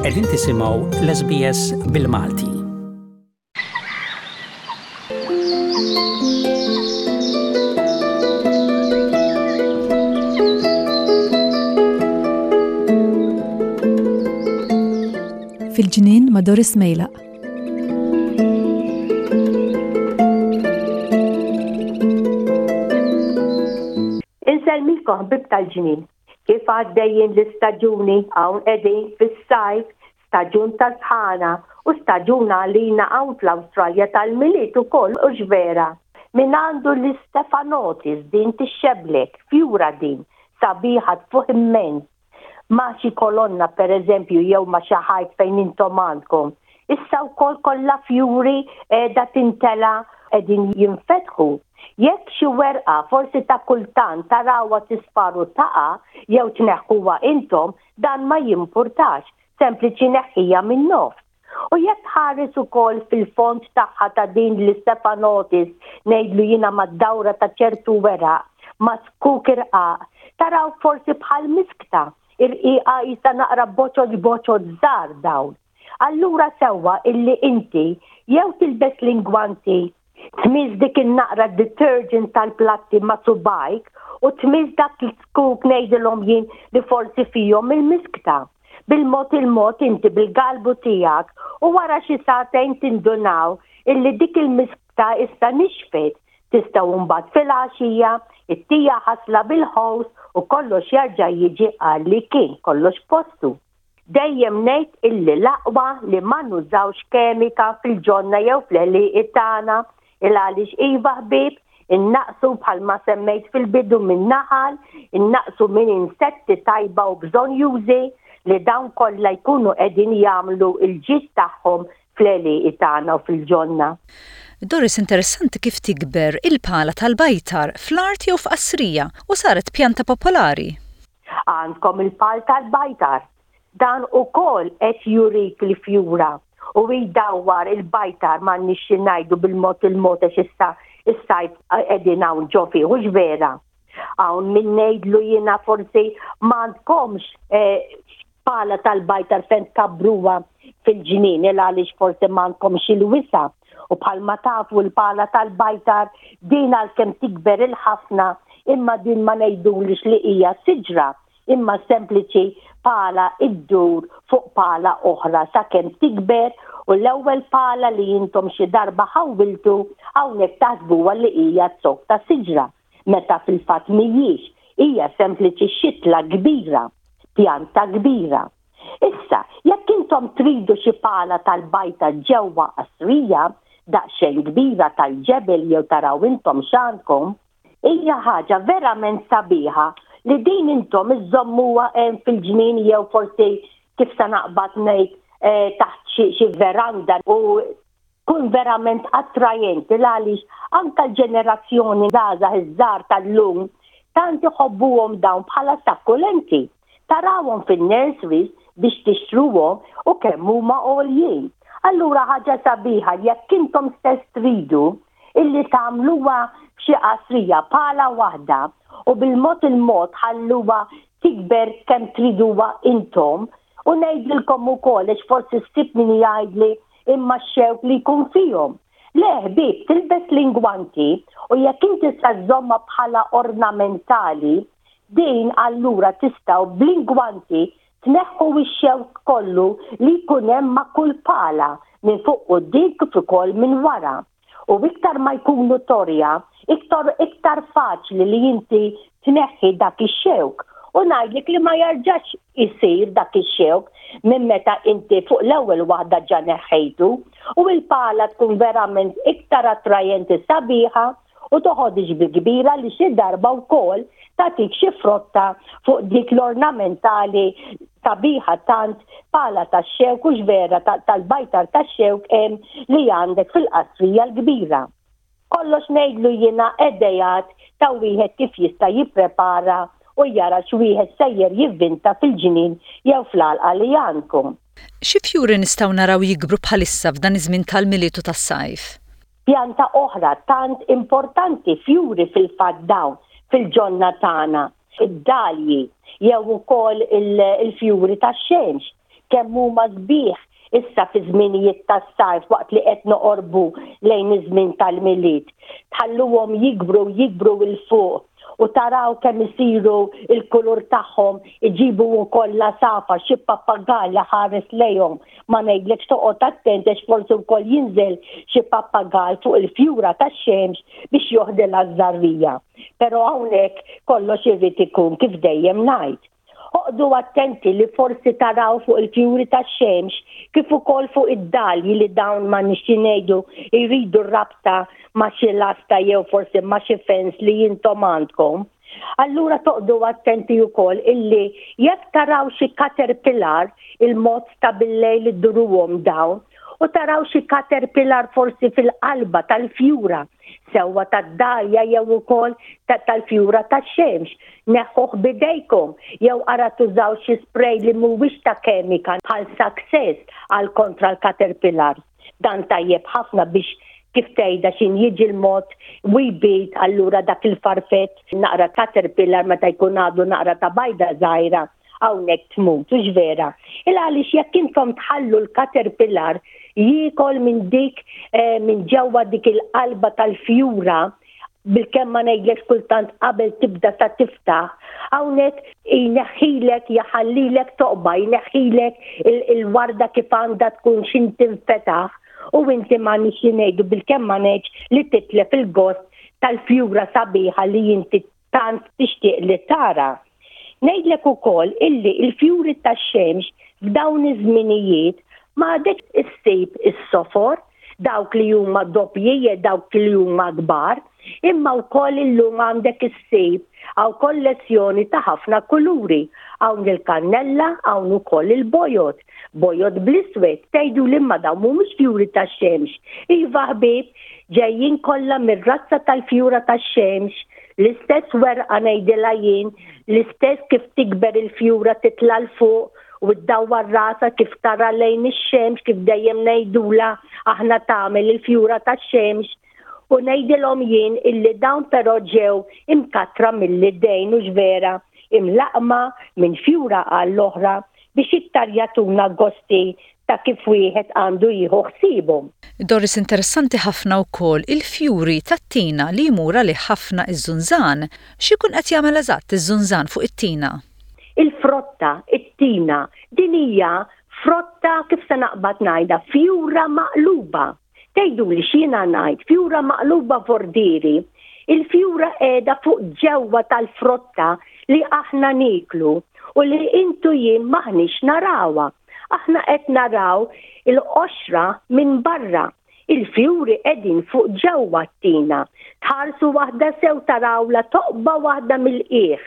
Qegħdin tisimgħu l-SBS bil-Malti. Fil-ġnien ma' Doris Mejlaq. Insellmilkom ħbieb tal-ġnien. Kif għaddejjin l-istaġuni hawn qegħdin fis-sajf, staġun ta' sħana u staġun għalina hawn fl-Awstralja tal-Milied ukoll hux vera? Min għandu l-Istefanotis din tixxeblek, fjura din, sabiħa tfuħ immens. ma' xi kolonna pereżempju jew ma' xi ħajt fejn intom għandkom. Issa wkoll kollha fjuri qiegħda tintela' qegħdin jinfetħu. Jekk xi werqa forsi ta' kultant tarawha tisfar u taqa' jew tneħħuha intom, dan ma jimpurtax, sempliċi neħħiha min-nofs. U jekk tħares ukoll fil-fond tagħha ta' din l-Istefanotis, ngħidlu jiena mad-dawra ta' ċertu weraq, ma' zkuk irqaq, taraw forsi bħal miskta, irqiqa qisha naqra boċoċ boċoċ żgħar dawn. Allura sewwa illi inti jew tilbes l-ingwanti, tmiss dik in-naqra detergent tal-platti ma' subgħajk u tmiss dak l-zkuk ngħidilhom jien li forsi fihom il-miskta. Bil-mod il-mod inti bil-galbu tiegħek u wara xi sagħtejn tindunaw illi dik il-miskta issa nixfet. Tistgħu mbagħad filgħaxija ittija ħasla bil-ħows u kollox jarġa' jiġi għal li kien, kollox f'postu. Dejjem ngħid illi l-aqwa li ma nużawx kemika fil-ġonna jew fl-għelieqi tagħna il għaliex iva ħbieb, innaqqsu bħalma semmejt fil-bidu minn naħal, innaqqsu minn insetti tajba u bżonnjużi li dawn kollha jkunu qegħdin jagħmlu l-ġid tagħhom fl-għelieqi tagħna u fil-ġonna. Doris interessanti kif tikber il-pala tal-bajtar fl-art jew f'qasrija u saret pjanta popolari. Għandkom il-pal tal-bajtar. Dan ukoll qed jurik l-fjura u jdawwar il-bajtar m'għandniex xi ngħidu bil-mod il-mod għax issa s-sajf qegħdin hawn ġo fih, hux vera? Hawn min ngħidlu jiena forsi m'għandkomx eh, pala tal-bajtar fejn tkabbruha fil-ġnien il għaliex forsi m'għandkomx il-wisa' U bħalma tafu l-pala tal-bajtar din għalkemm tikber il-ħafna imma din ma ngħidulix li hija siġra imma sempliċi pala iddur fuq pala oħra sakemm tikber u l-ewwel pala li intom xi darba ħawwiltu hawnhekk taħsbuha li hija zokk ta' siġra meta fil-fatt mhijiex, hija sempliċi xitla kbira, pjanta kbira. Issa, jekk intom tridu xi pala tal-bajta ġewwa qasrija, daqsxejn kbira tal-ġebel jew taraw intom x'għandkom, hija ħaġa verament sabiħa li din intom iżżommuha hemm fil-ġnien jew forsi kif se naqbad ngħid eh, taħt xi veranda u tkun verament attrajenti l-għaliex anke l-ġenerazzjoni żgħażagħ iż-żgħar tal-lum tant iħobbuhom dawn bħala sakkulenti. Tarawhom fin-nurseries biex tixtruhom u kemm huma għoljin. Allura ħaġa sabiħa jekk intom stess tridu illi tagħmluha f'xi qasrija pala waħda u bil-mod il-mod tħalluha tikber kemm triduha intom u ngħidilkom ukoll għax forsi ssib min jgħidli imma x-xewk li jkun fihom. Le ħbieb, tilbes l-ingwanti u jekk inti se żżommha bħala ornamentali, din allura tistgħu bl-ingwanti tneħħu x-xewk kollu li jkun hemm ma' kull pala minn fuq quddiem kif ukoll minn wara. U iktar ma jkunu torja, iktar iktar faċli li inti tneħħi dak ix-xewk. U ngħidlek li ma jarġax isir dak ix-xewk minn meta inti fuq l-ewwel waħda ġa neħħejtu. U l-pala tkun verament iktar attrajenti sabiħa u toħodhiex bi kbira li xi darba wkoll tagħtik xi frotta fuq dik l-ornamentali sabiħa tant pala tax-xewk hux vera tal-bajtar tax-xewk hemm li għandek fil-qasrija l-kbira. Kollox ngħidlu jiena idejat ta' wieħed kif jista' jipprepara u jara x'wieħed sejjer jivvinta fil-ġnien jew fl-għalqa li għandkom. Xi fjuri nistgħu naraw jikbru bħalissa f'dan iż-żmien tal-Milied u tas-sajf? Pjanta oħra tant importanti, fjuri fil-fatt dawn fil-ġonna tagħna, id-dalji jew ukoll il-fjuri tax-xemx. Kemm huma sbieħ issa fi żminijiet tas-sajf waqt li qed noqorbu lejn iż-żmien tal-Milied. Tħalluhom jikbru jikbru 'l fuq u taraw kemm isiru l-kulur tagħhom iġibu wkoll l-għasafar xi pappagall li ħares lejhom ma ngħidlekx toqgħod attent għax forsi wkoll jinżel xi pappagall fuq il-fjura tax-xemx biex joħdilha ż-żarrija. Però hawnhekk kollox irid ikun kif dejjem ngħid. Oqdu attenti li forsi taraw fuq il-fjuri tax-xemx kif ukoll fuq id-dalji li dawn ma nixxi ngħidu jridu rabta ma' xi lasta jew forsi ma' xi fence li intom għandkom. Allura toqdu attenti wkoll illi jekk taraw xi caterpillar il-mod ta' billejl idduruhom dawn u taraw xi caterpillar forsi fil-qalba tal-fjura sewwa tad-dalja jew ukoll tal-fjura tax-xemx. Neħħuh b'idejkom jew ara tużaw xi spray li mhuwiex ta' kemika bħal Success għal kontra l-caterpillars. Dan tajjeb ħafna biex kif tgħidha x'in jiġi l-mod u jbid allura dak il-farfett naqra caterpillar meta jkun għadu naqra ta' bajda żgħira hawnhekk tmut, hux vera? Il għaliex jekk intom tħallu l-caterpillar jiekol minn dik eh, minn ġewwa dik il-qalba tal-fjura bil-kemm ma ngħidlekx kultant qabel tibda ta' tiftaħ, hawnhekk jneħħilek jaħallilek toqba, jneħħilek il-warda kif għandha tkun x'in tinfetaħ u inti ma nix ngħidu bil-kemm ma ngħidx li titlef il-gost tal-fjura sabiħa li inti tant tixtieq li tara. Ngħidlek ukoll illi l-fjuri tax-xemx f'dawn iż-żminijiet ma għadekx issib is-sofor, dawk li huma doppji jew dawk li huma kbar, imma wkoll illum għandek issib hawn kollezzjoni ta' ħafna kuluri. Hawn il-kannella, hawn ukoll il-bojod, bojod bl-iswed, tgħiduli imma dawn mhumiex fjuri tax-xemx. Iva ħbieb, ġejjin kollha mir-razza tal-fjura tax-xemx, l-istess werqa ngħidilha jien, l-istess kif tikber il-fjura titla' 'l fuq u ddawwar rasha kif tara lejn ix-xemx kif dejjem ngħidulha aħna tagħmel il-fjura tax-xemx. U ngħidilhom jien illi dawn però ġew imkattra mill-idejn hux vera, imlaqqma minn fjura għall-oħra biex iktar jagħtuna gosti ta' kif wieħed għandu jieħu ħsiebhom. Doris interessanti ħafna wkoll il-fjuri tat-tina li jmur għalih ħafna iż-żunżan. X'ikun qed jagħmel eżatt iż-żunżan fuq it-tina? Il-frotta, it-tina, din hija frotta kif se naqbad ngħidha, fjura maqluba. Tgħiduli x'jiena ngħid, fjura maqluba vordieri. Il-fjura qiegħda fuq ġewwa tal-frotta li aħna nieklu u li intu jien m'aħniex narawha. Aħna qed naraw il-qoxra minn barra. Il-fjuri qegħdin fuq ġewwa t-tina. Tħarsu waħda sew tarawlha toqba waħda mill-qiegħ.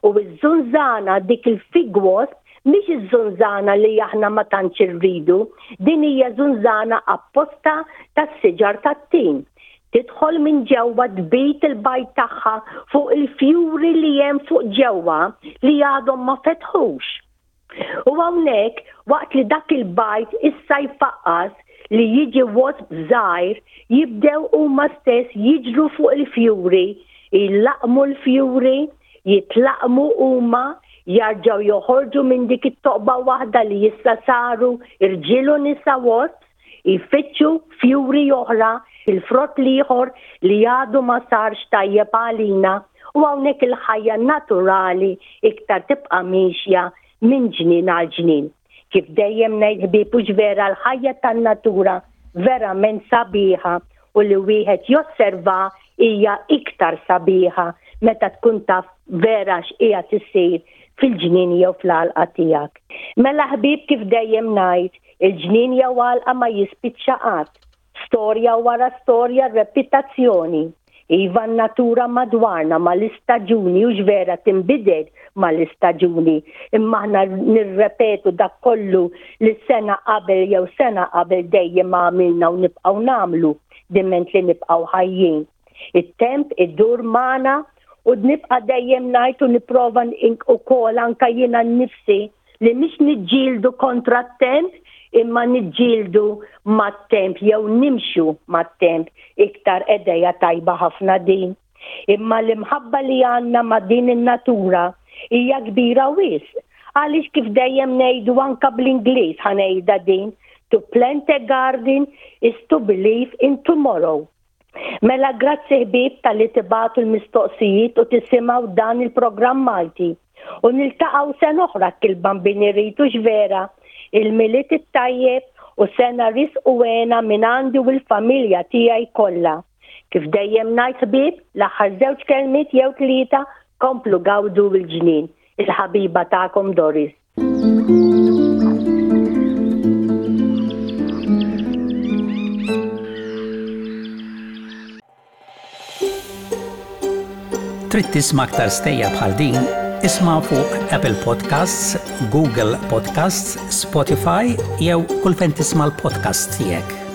U ż-żunżana dik il-fig wasp mhix iż-żunżana li aħna ma tantx irridu, din hija żunżana apposta tas-siġar tat-tin. Tidħol minn ġewwa tbid il-bajd tagħha fuq il-fjuri li hemm fuq ġewwa li għadhom ma fetħux. U hawnhekk, waqt li dak il-bajd issa jfaqqas li jiġi wasp żgħir, jibdew huma stess jiġru fuq il-fjuri, jlaqqmu l-fjuri, jitlaqqmu huma, jarġgħu joħorġu minn dik it-toqba waħda li issa saru rġiel u nisa wasps, jfittxu fjuri oħra, il-frott l-ieħor li għadu ma sarx tajjeb għalina u hawnhekk il-ħajja naturali iktar tibqa' miexja minn ġnien għal ġnien. Kif dejjem ngħid ħbieb hux vera l-ħajja tan-natura verament sabiħa u li wieħed josserva hija iktar sabiħa meta tkun taf vera x'qiegħed isir fil-ġnien jew fl-għalqa tiegħek. Mela ħbieb kif dejjem ngħid, il-ġnien jew għalqa ma jispiċċa qatt. Storja wara storja repitazzjoni. Iva n-natura madwarna mal-istaġuni hux vera tinbidel mal-istaġuni, imma aħna nirrepetu dak kollu li sena qabel jew sena qabel dejjem għamilna u nibqgħu nagħmlu diment li nibqgħu ħajjin. It-temp idur magħna u nibqa' dejjem ngħid u nipprova ukoll anke jiena nnifsi li mhix niġġieldu kontra t-temp imma niġġieldu mat-temp jew nimxu mat-temp iktar edeja tajba ħafna din. Imma l-imħabba li għandna ma' din in-natura hija kbira wisq. Għaliex kif dejjem ngħidu anka bl-Ingliż ħa ngħidha din, to plant a garden is to believe in tomorrow. Mela grazzi ħbieb talli tibagħtu l-mistoqsijiet u tisimgħu dan il-programm Malti. U niltaqgħu sena oħra kil-bambin irid hux vera. Il-Milied it-tajjeb u sena risq u hena minn għandi u l-familja tiegħi kollha. Kif dejjem ngħid ħbieb, l-aħħar żewġ kelmiet jew tlieta komplu gawdu l-ġnien. Il-ħabiba tagħkom Doris. Trid tisma' aktar stejjer bħal din? Isma' fuq Apple Podcasts, Google Podcasts, Spotify jew kull fejn tisma' l-podcasts tiegħek.